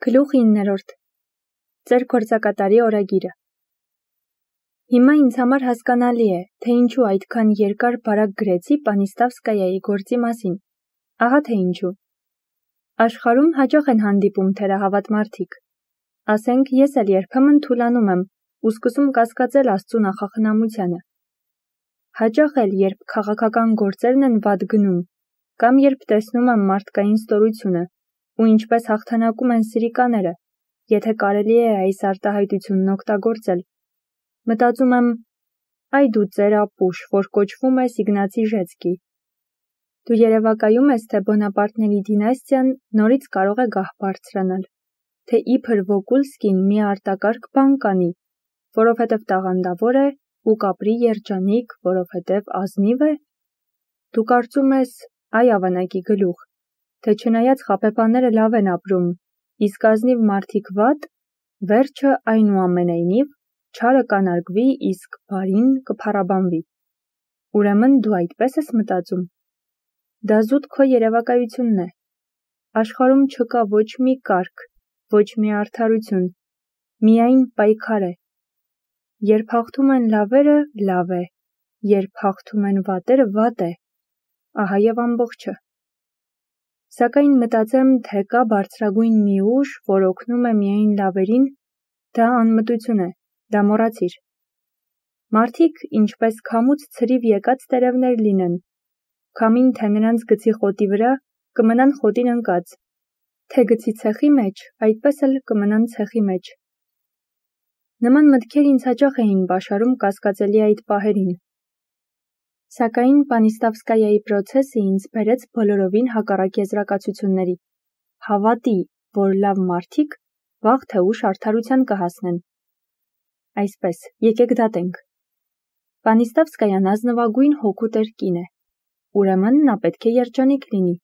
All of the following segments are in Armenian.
Գլուխ 9-րդ Ձեր գործակատարի օրագիրը Հիմա ինձ համար հասկանալի է, թե ինչու այդքան երկար բարակ գրեցի Պանիստավսկայայի գործի մասին։ Ահա թե ինչու։ Աշխարհում հաճախ են հանդիպում թերահավատ մարդիկ։ Ասենք ես էլ երբեմն թուլանում եմ ու սկսում կասկածել Աստծու նախախնամությանը։ Հաճախ էլ, երբ քաղաքական գործերն են վատ գնում, կամ երբ տեսնում եմ մարդկային ստորությունը, ու ինչպես հաղթանակում են սրիկաները, եթե կարելի է այս արտահայտությունն օգտագործել։ Մտածում եմ, այ դու ծեր ապուշ, որ կոչվում է Իգնացի-Ժեցկի։ Դու երևակայում ես, թե Բոնապարտների դինաստիան նորից կարող է գահ բարձրանալ, թե իբր Վոկուլսկին մի արտակարգ բան կանի, որովհետև տաղանդավոր է, ու կապրի երջանիկ, որովհետև ազնիվ է։ Դու կարծում ես, այ ավանակի գլուխ, թե չնայած խաբեբաները լավ են ապրում, իսկ ազնիվ մարդիկ վատ, վերջը այնուամենայնիվ չարը կանարգվի, իսկ բարին կփառաբանվի։ Ուրեմն դու այդպես ես մտածում։ Դա զուտ քո երևակայությունն է։ Աշխարհում չկա ոչ մի կարգ, ոչ մի արդարություն, միայն պայքար է։ Երբ հաղթում են լավերը, լավ է, երբ հաղթում են վատերը, վատ է։ Ահա եւ ամբողջը։ Սակայն մտածեմ, թե կա բարձրագույն մի ուժ, որ օգնում է միայն լավերին, դա անմտություն է, դա մոռացիր։ Մարդիկ, ինչպես քամուց ցրիվ եկած տերևներ լինեն, քամին թե նրանց գցի խոտի վրա, կմնան խոտին ընկած, թե գցի ցեխի մեջ, այդպես էլ կմնան ցեխի մեջ։ Նման մտքեր ինձ հաճախ էին բաշարում կասկածելի այդ պահերին։ Սակայն Պանիստավսկայայի պրոցեսը ինձ բերեց բոլորովին հակառակ եզրակացությունների։ Հավատի, որ լավ մարդիկ վաղ թե ուշ արդարության կհասնեն։ Այսպես, եկեք դատենք։ Պանիստավսկայան ազնվագույն հոգու տեր կին է։ Ուրեմն նա պետք է երջանիկ լինի։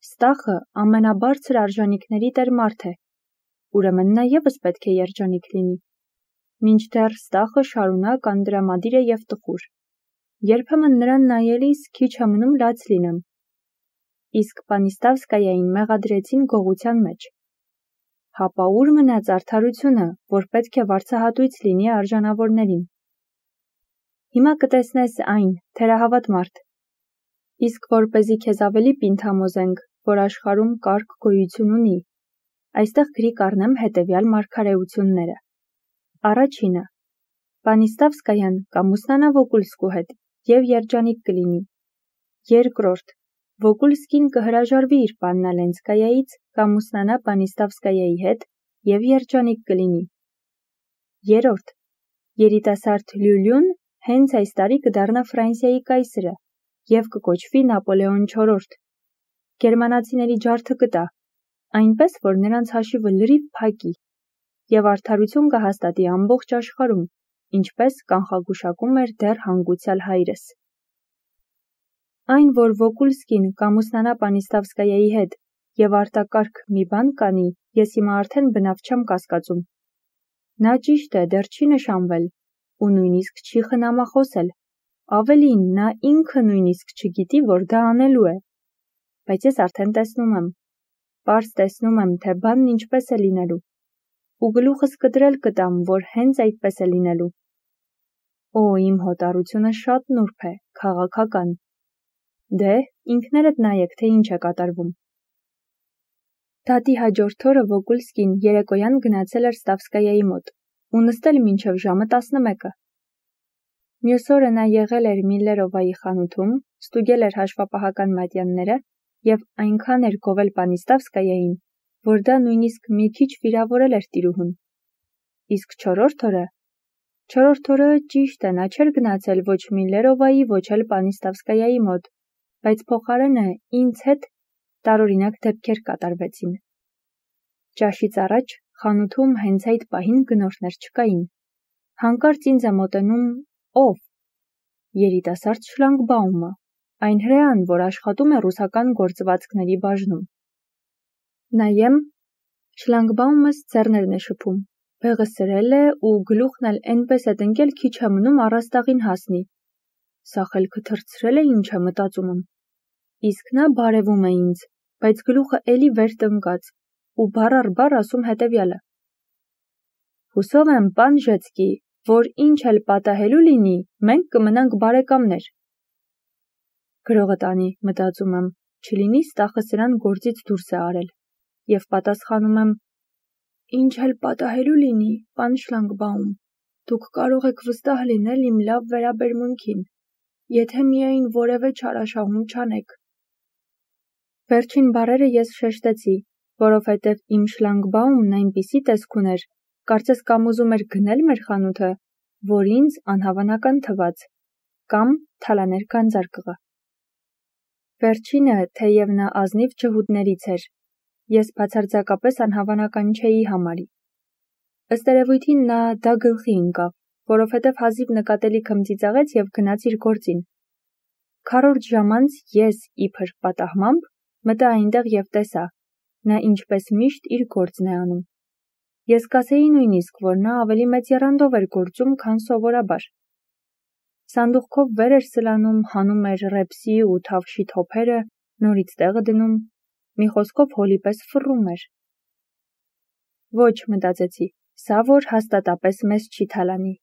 Ստախը ամենաբարձր արժանիքների տեր մարդ է։ Ուրեմն նա ևս պետք է երջանիկ լինի։ Մինչդեռ Ստախը շարունակ անդրամադիր է և տխուր։ Երբեմն նրան նայելիս քիչ է մնում լաց լինեմ։ Իսկ Պանիստավսկայային մեղադրեցին գողության մեջ։ Հապա ուր մնաց արդարությունը, որ պետք է վարձահատույց լինի արժանավորներին։ Հիմա կտեսնես այն, թերահավատ մարդ։ Իսկ որպեսզի քեզ ավելի պինդ որ աշխարհում կարգ գոյություն ունի, այստեղ գրի կառնեմ հետևյալ մարգարեությունները։ Առաջինը. Պանիստավսկայան կամուսնանա Վոկուլսկու հետ և երջանիկ կլինի։ Երկրորդ. Վոկուլսկին կհրաժարվի իր Պաննալենսկայայից, կամուսնանա Պանիստավսկայայի հետ և երջանիկ կլինի։ Երրորդ. Երիտասարդ Լյուլյուն հենց այս տարի կդառնա Ֆրանսիայի կայսրը և կկոչվի Նապոլեոն IV։ Գերմանացիների ջարդը կտա, այնպես, որ նրանց հաշիվը լրիվ փակի, և արդարություն կհաստատի ամբողջ աշխարհում, ինչպես կանխագուշակում էր դեռ հանգուցյալ հայրս։ Այն, որ Վոկուլսկին կամուսնանա Պանիստավսկայայի հետ և արտակարգ մի բան կանի, ես հիմա արդեն բնավ չեմ կասկածում։ Նա ճիշտ է, դեռ չի նշանվել, ու նույնիսկ չի խնամախոսել, ավելին, նա ինքը նույնիսկ չգիտի, որ դա անելու է։ Բայց ես արդեն տեսնում եմ, պարզ տեսնում եմ, թե բանն ինչպես է լինելու, ու գլուխս կտրել կտամ, որ հենց այդպես է լինելու։ Օ, իմ հոտառությունը շատ նուրբ է, քաղաքական։ Դե, ինքներդ նայեք, թե ինչ է կատարվում։ Դատի հաջորդ օրը Վոկուլսկին երեկոյան գնացել էր Ստավսկայայի մոտ ու նստել մինչև ժամը 11-ը։ Մյուս օրը նա եղել էր Միլլերովայի խանութում, ստուգել էր հաշվապահական մատյանները և այնքան էր գովել Պանիստավսկայային, որ դա նույնիսկ մի քիչ վիրավորել էր տիրուհուն։ Իսկ չորրորդ օրը ճիշտ է, նա չէր գնացել ոչ Միլլերովայի, ոչ էլ Պանիստավսկայայի մոտ, բայց փոխարենը ինձ հետ տարօրինակ դեպքեր կատարվեցին։ Ճաշից առաջ խանութում հենց այդ պահին գնորդներ չկային։ Հանկարծ ինձ է մոտենում ով։ Երիտասարդ Շլանգբաումը, այն հրեան, որ աշխատում է ռուսական գործվածքների բաժնում։ Նայեմ, Շլանգբաումս ձեռներն է շփում, բեղը սրել է ու գլուխն էլ էնպես է տնկել քիչ է մնում առաստաղին հասնի։ Սա խելքը թռցրել է, ինչ է մտածում եմ։ Իսկ նա բարևում է ինձ, բայց գլուխը էլի վեր տնկած, ու բառ առ բառ ասում հետևյալը. «Հուսով եմ, պան Ժեցկի, որ ինչ էլ պատահելու լինի, մենք կմնանք բարեկամներ»։ Գրողը տանի, մտածում եմ, չլինի ստախը սրան գործից դուրս է արել, և պատասխանում եմ. «Ինչ էլ պատահելու լինի, պան Շլանգբաում, դուք կարող եք վստահ լինել իմ լավ վերաբերմունքին, եթե միայն որևէ չարաշահում չանեք»։ Վերջին բառերը ես շեշտեցի, որովհետև իմ Շլանգբաումն այնպիսի տեսք ուներ, կարծես կամ ուզում էր գնել մեր խանութը, որ ինձ անհավանական թվաց, կամ թալաներ գանձարկղը։ Վերջինը, թեև նա ազնիվ ջհուդներից էր, ես բացարձակապես անհավանական չէի համարի։ Ըստ երևույթին նա դա գլխի ընկավ, որովհետև հազիվ նկատելի քմծիծաղեց և գնաց իր գործին։ Քառորդ ժամ անց ես, իբր պատահմամբ, մտա այնտեղ և տեսա, նա ինչպես միշտ իր գործն է անում։ Ես կասեի նույնիսկ, որ նա ավելի մեծ եռանդով էր գործում, քան սովորաբար։ Սանդուղքով վեր էր սլանում, հանում էր ռեպսի ու թավշի թոփերը, նորից տեղը դնում, մի խոսքով հոլի պես ֆռում էր։ Ոչ, մտածեցի, սա որ հաստատապես մեզ չի թալանի։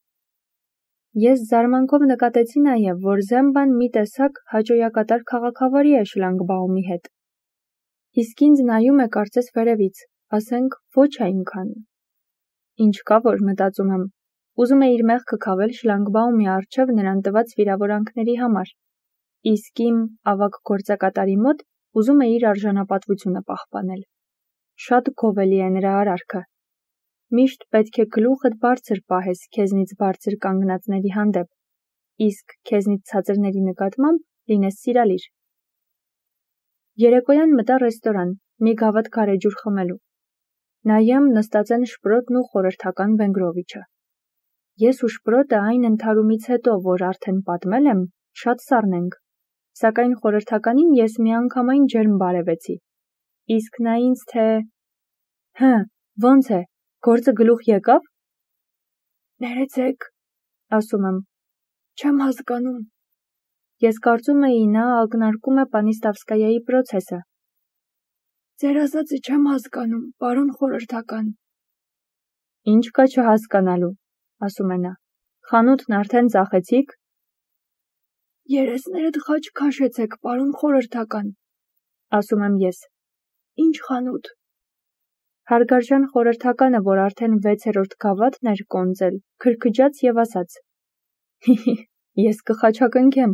Ես զարմանքով նկատեցի նաև, որ Զեմբան մի տեսակ հաճոյակատար քաղաքավարի է Շլանգբաումի հետ։ Իսկ ինձ նայում է կարծես վերևից, ասենք ոչ այնքան։ Ինչ կա որ, մտածում եմ, ուզում է իր մեղքը քավել Շլանգբաումի առջև նրան տված վիրավորանքների համար, իսկ իմ ավագ գործակատարի մոտ ուզում է իր արժանապատվությունը պահպանել։ Շատ գովելի է նրա արարքը։ Միշտ պետք է գլուխդ բարձր պահես քեզնից բարձր կանգնածների հանդեպ, իսկ քեզնից ցածրների նկատմամբ լինես սիրալիր։ Երեկոյան մտա ռեստորան, մի գավաթ գարեջուր խմելու։ Նայեմ, նստած են Շպրոտն ու խորհրդական Վենգրովիչը։ Ես ու Շպրոտը այն ընդհարումից հետո, որ արդեն պատմել եմ, շատ սառնենք, սակայն խորհրդականին ես միանգամայն ջերմ բարևեցի, իսկ նա ինձ թե. «Հը, ո՞նց է, գործը գլուխ եկավ»։ «Ներեցեք», ասում եմ, «չեմ հասկանում»։ Ես կարծում էի նա ակնարկում է Պանիստավսկայայի պրոցեսը։ «Ձեր ասածը չեմ հասկանում, պարոն խորհրդական»։ «Ինչ կա չհասկանալու», ասում է նա, «խանութն արդեն ծախեցի՞ք»։ «Երեսներդ խաչ քաշեցեք, պարոն խորհրդական», ասում եմ ես։ «Ինչ խանութ»։ Հարգարժան խորհրդականը, որ արդեն 6-րդ գավաթն էր կոնծել, քրքջաց և ասաց. «Հիհի, ես կխաչակնքեմ,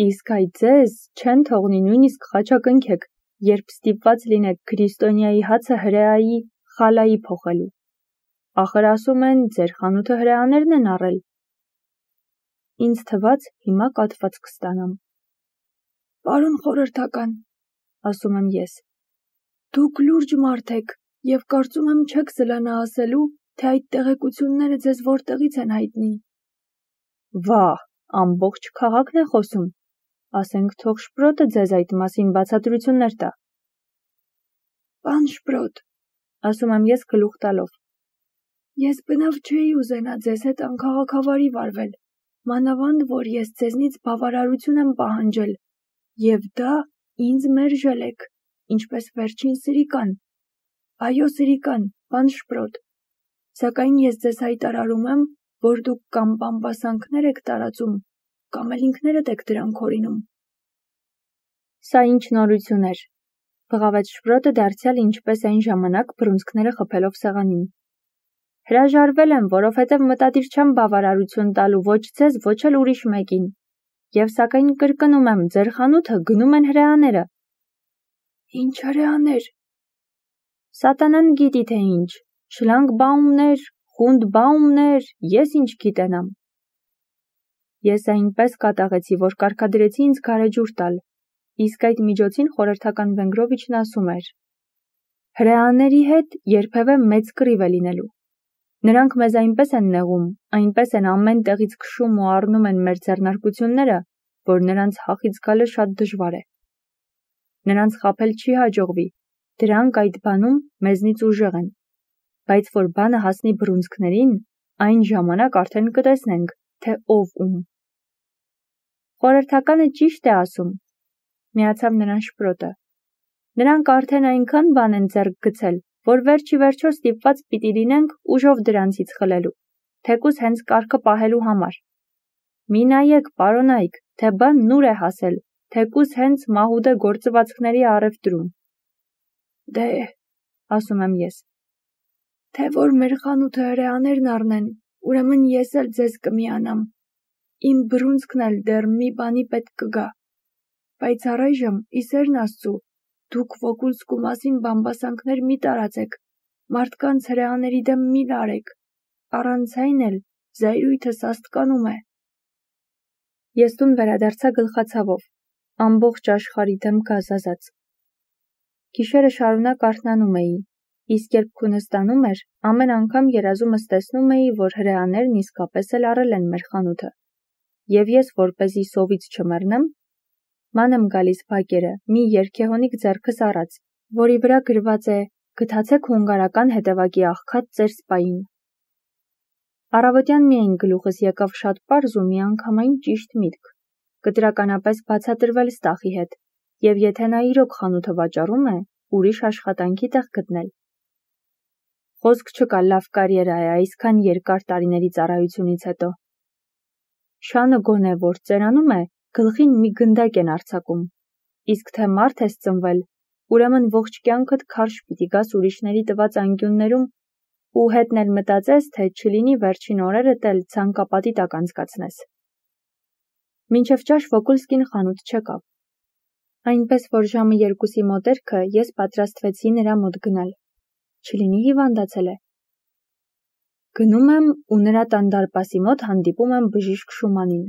իսկ այ ձեզ չեն թողնի նույնիսկ խաչակնքեք, երբ ստիպված լինեք Քրիստոնյայի հացը հրեայի խալայի փոխելու։ Ախր ասում են, ձեր խանութը հրեաներն են առել»։ Ինձ թվաց հիմա կաթված կստանամ։ «Պարոն խորհրդական», ասում եմ ես, «դուք լուրջ մարդ եք և կարծում եմ չեք զլանա ասելու, թե այդ տեղեկությունները ձեզ որտեղից են հայտնի»։ «Վա՜, ամբողջ քաղաքն է խոսում, ասենք թող Շպրոտը ձեզ այդ մասին բացատրություններ տա»։ «Պան Շպրոտ», ասում եմ ես գլուխ տալով, «ես բնավ չէի ուզենա ձեզ հետ անքաղաքավարի վարվել, մանավանդ որ ես ձեզնից բավարարություն եմ պահանջել, և դա ինձ մերժել եք, ինչպես վերջին սրիկան։ Այո, սրիկան, պան Շպրոտ, սակայն ես ձեզ հայտարարում եմ, որ դուք կամ բամբասանքներ եք տարածում, կամ էլ ինքներդ եք դրանք հորինում»։ Սա ինչ նորություն էր, բղավեց Շպրոտը դարձյալ ինչպես այն ժամանակ բռունցքները խփելով սեղանին։ «Հրաժարվել եմ, որովհետև մտադիր չեմ բավարարություն տալու ոչ ձեզ, ոչ էլ ուրիշ մեկին, և սակայն կրկնում եմ, ձեր խանութը գնում են հրեաները»։ «Ինչ հրեաներ»։ «Սատանան գիտի թե ինչ, Շլանգբաումներ, Խունդբաումներ, ես ինչ գիտենամ»։ Ես այնպես կատաղեցի, որ կարգադրեցի ինձ գարեջուր տալ, իսկ այդ միջոցին խորհրդական Վենգրովիչն ասում էր. «Հրեաների հետ երբևէ մեծ կռիվ է լինելու։ Նրանք մեզ այնպես են նեղում, այնպես են ամեն տեղից քշում ու առնում են մեր ձեռնարկությունները, որ նրանց հախից գալը շատ դժվար է։ Նրանց խաբել չի հաջողվի, դրանք այդ բանում մեզնից ուժեղ են, բայց որ բանը հասնի բռունցքներին, այն ժամանակ արդեն կտեսնենք, թե ով ում»։ Խորհրդականը ճիշտ է ասում, միացավ նրան Շպրոտը։ Նրանք արդեն այնքան բան են ձեռք գցել, որ վերջի վերջո ստիպված պիտի լինենք ուժով դրանցից խլելու, թեկուզ հենց կարգը պահելու համար։ Մի նայեք, պարոնայք, թե բանն ուր է հասել, թեկուզ հենց մահուդե գործվածքների առևտրում։ Դե, ասում եմ ես, թե որ մեր խանութը հրեաներն առնեն, ուրեմն ես էլ ձեզ կմիանամ, իմ բռունցքն էլ դեռ մի բանի պետք կգա, բայց առայժմ իսերն Աստծու, դուք Վոկուլսկու մասին բամբասանքներ մի տարածեք, մարդկանց հրեաների դեմ մի լարեք, առանց այն էլ զայրույթը սաստկանում է։ Ես տուն վերադարձա գլխացավով, ամբողջ աշխարհի դեմ գազազած։ Գիշերը շարունակ արթնանում էի, իսկ երբ քունը ստանում էր, ամեն անգամ երազումս տեսնում էի, որ հրեաներն իսկապես էլ առել են մեր խանութը, և ես, որպեսզի սովից չմեռնեմ, ման եմ գալիս բակերը մի երգեհոնիկ ձեռքս առած, որի վրա գրված է «Գթացեք հունգարական հետևակի աղքատ ծեր սպային»։ Առավոտյան միայն գլուխս եկավ շատ պարզ ու միանգամայն ճիշտ միտք, կտրականապես բացատրվել Ստախի հետ, և եթե նա իրոք խանութը վաճառում է, ուրիշ աշխատանքի տեղ գտնել։ Խոսք չկա, լավ կարիերա է այսքան երկար տարիների ծառայությունից հետո։ Շանը գոնե որ ծերանում է, գլխին մի գնդակ են արձակում, իսկ թե մարդ ես ծնվել, ուրեմն ողջ կյանքդ քարշ պիտի գաս ուրիշների տված անկյուններում ու հետն էլ մտածես, թե չլինի վերջին օրերդ էլ ցանկապատի տակ անցկացնես։ Մինչև ճաշ Վոկուլսկին խանութ չեկավ, այնպես որ ժամը 2-ի մոտերքը ես պատրաստվեցի նրա մոտ գնալ, չլինի հիվանդացել է։ Գնում եմ ու նրա տան դարպասի մոտ հանդիպում եմ բժիշկ Շումանին։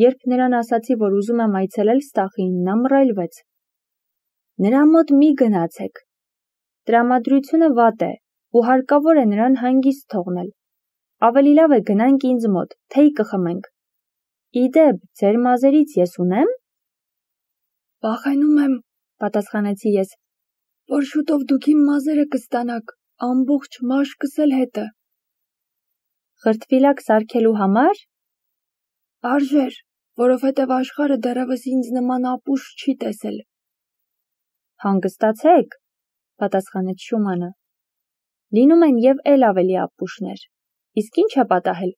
Երբ նրան ասացի, որ ուզում եմ այցելել Ստախին, նա մռայլվեց։ Նրա մոտ մի գնացեք։ Տրամադրությունը վատ է ու հարկավոր է նրան հանգիստ թողնել։ Ավելի լավ է գնանք ինձ մոտ, թեյ կխմենք։ Իդեպ, ձեր մազերից ես ունեմ։ Վախենում եմ, պատասխանեցի ես, որ շուտով դուք իմ մազերը կստանաք, ամբողջ մաշկս էլ հետը։ Խրտվիլակ սարքելու համար։ Արժեր, որովհետև աշխարհը դեռևս ինձ նման ապուշ չի տեսել։ Հանգստացեք, պատասխանեց Շումանը։ Լինում են և էլ ավելի ապուշներ, իսկ ինչ է պատահել։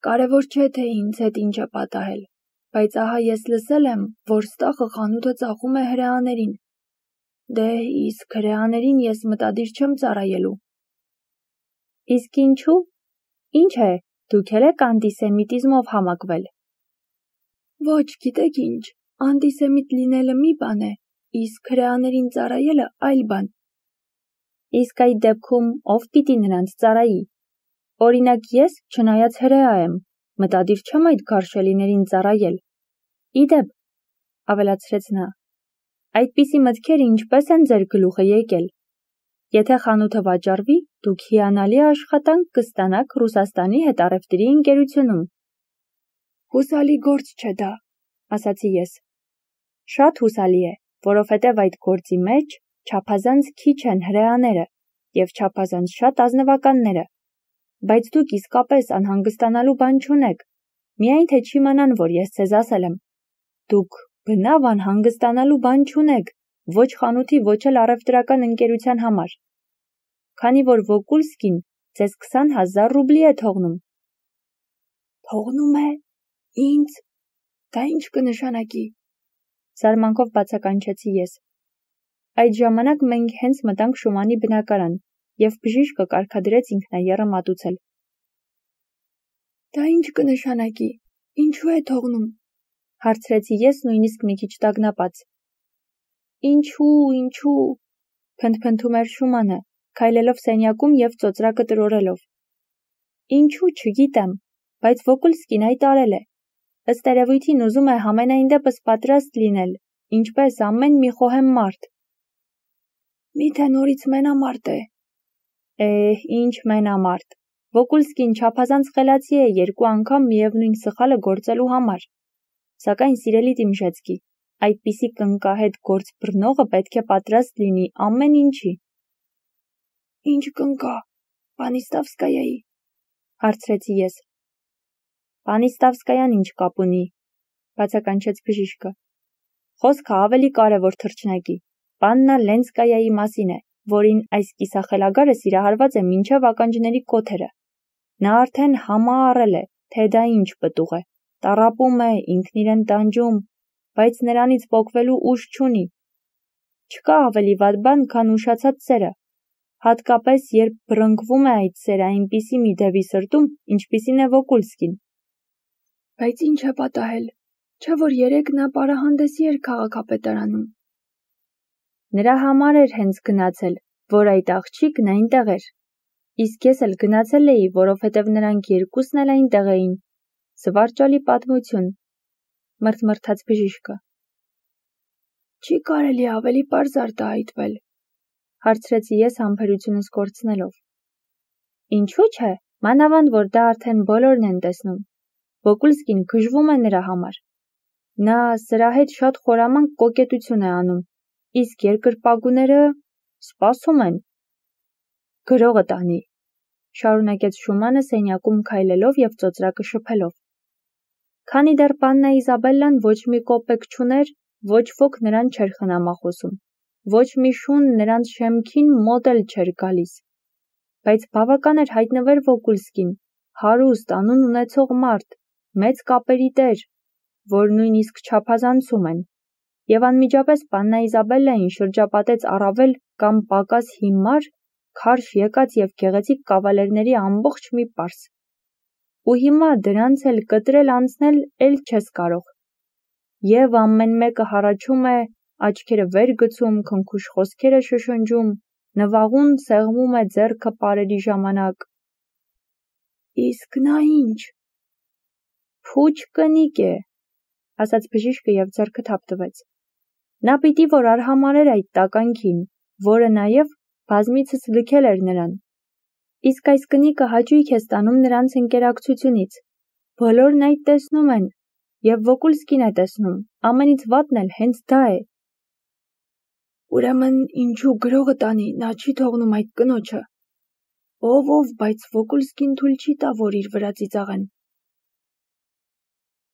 Կարևոր չէ, թե ինձ հետ ինչ է պատահել, բայց ահա ես լսել եմ, որ Ստախը խանութը ծախում է հրեաներին։ Դե, իսկ հրեաներին ես մտադիր չեմ ծառայելու։ Իսկ ինչու։ Ինչ է, դուք էլ եք անտիսեմիտիզմով համակվել։ Ոչ, գիտեք ինչ, անտիսեմիտ լինելը մի բան է, իսկ հրեաներին ծառայելը այլ բան։ Իսկ այդ դեպքում ով պիտի նրանց ծառայի։ Օրինակ ես, չնայած հրեա եմ, մտադիր չեմ այդ գարշելիներին ծառայել։ Իդեպ, ավելացրեց նա, այդպիսի մտքեր ինչպես են ձեր գլուխը եկել։ Եթե խանութը վաճառվի, դուք հիանալի աշխատանք կստանաք Ռուսաստանի հետ առևտրի ընկերությունում։ Հուսալի գործ չէ դա, ասացի ես։ Շատ հուսալի է, որովհետև այդ գործի մեջ չափազանց քիչ են հրեաները և չափազանց շատ ազնվականները, բայց դուք իսկապես անհանգստանալու բան չունեք, միայն թե չիմանան, որ ես ձեզ ասել եմ։ Դուք բնավ անհանգստանալու բան չունեք, ոչ խանութի, ոչ էլ առևտրական ընկերության համար, քանի որ Վոկուլսկին ձեզ 20,000 ռուբլի է թողնում։ Թողնում է, ինձ, դա ինչ կնշանակի։ Զարմանքով բացականչեցի ես։ Այդ ժամանակ մենք հենց մտանք Շումանի բնակարան, և բժիշկը կարգադրեց ինքնաեռը մատուցել։ Դա ինչ կնշանակի, ինչու է թողնում, հարցրեցի ես նույնիսկ մի քիչ տագնապած։ Ինչու, փնթփնթում էր Շումանը, քայլելով սենյակում և ծոծրակը տրորելով։ Ինչու չգիտեմ, բայց Վոկուլսկին այդ արել է։ Ըստ երևույթին ուզում է համենայն դեպս պատրաստ լինել, ինչպես ամեն մի խոհեմ մարդ։ Միթե նորից մենամարտ է։ Ինչ մենամարտ։ Վոկուլսկին չափազանց խելացի է 2 անգամ միևնույն սխալը գործելու համար։ Սակայն սիրելի Դիմժեցկի, այդպիսի կնկահետ գործ բռնողը պետք է պատրաստ լինի ամեն ինչի։ Ինչ կնկա, Պանիստավսկայայի, հարցրեցի ես։ Պանիստավսկայան ինչ կապ ունի, բացականչեց բժիշկը։ Խոսքը ավելի կարևոր թռչնակի, Պաննա Լենսկայայի մասին է, որին այս կիսախելագարը սիրահարված է մինչև ականջների կոթերը։ Նա արդեն համառել է, թե դա ինչ պտուղ է, տառապում է, ինքն իրեն տանջում, բայց նրանից պոկվելու ուժ չունի։ Չկա ավելի վատ բան, քան ուշացած սերը, հատկապես երբ բռնկվում է այդ սերը այնպիսի մի դևի սրտում, ինչպիսին է Վոկուլսկին։ Բայց ինչ է պատահել, չէ՞ որ երեկ նա պարահանդեսի էր քաղաքապետարանում։ Նրա համար էր հենց գնացել, որ այդ աղջիկն այնտեղ էր։ Իսկ ես էլ գնացել էի, որովհետև նրանք երկուսն էլ այնտեղ էին։ Զվարճալի պատմություն, մրթմրթաց բժիշկը։ Չի կարելի ավելի պարզ արտահայտվել, հարցրեցի ես համբերությունս կորցնելով։ Ինչու՞ չէ, մանավանդ որ դա արդեն բոլորն են տեսնում։ Վոկուլսկին գժվում է նրա համար։ Նա սրա հետ շատ խորամանկ կոկետություն է անում, իսկ երկրպագուները սպասում են։ Գրողը տանի, շարունակեց Շումանը սենյակում քայլելով և ծոծրակը շփելով։ Քանի դեռ Պաննա Իզաբելլան ոչ մի կոպեկ չուներ, ոչ ոք նրան չէր խնամախոսում, ոչ մի շուն նրանց շեմքին մոտ էլ չէր գալիս։ Բայց բավական էր հայտնվեր Վոկուլսկին, հարուստ, անուն ունեցող մարդ, մեծ կապերի տեր, որ նույնիսկ չափազանցում են, և անմիջապես Պաննա Իզաբելլային շրջապատեց առավել կամ պակաս հիմար, քարշ եկած և գեղեցիկ կավալերների ամբողջ մի պարս։ Ու հիմա դրանց էլ կտրել անցնել էլ չես կարող։ Եվ ամեն մեկը հառաչում է, աչքերը վեր գցում, քնքուշ խոսքեր է շշնջում, նվաղուն սեղմում է ձեռքը պարերի ժամանակ։ Իսկ նա ինչ։ Փուչ կնիկ է, ասաց բժիշկը և ձեռքը թափ տվեց։ Նա պիտի որ արհամարհեր այդ տականքին, որը նաև բազմիցս լքել էր նրան։ Իսկ այս կնիկը հաճույք է ստանում նրանց ընկերակցությունից։ Բոլորն այդ տեսնում են, և Վոկուլսկին է տեսնում, ամենից վատն էլ հենց դա է։ Ուրեմն ինչու գրողը տանի, նա չի թողնում այդ կնոջը։ Ով, բայց Վոկուլսկին թույլ չի տա, որ իր վրա ծիծաղեն։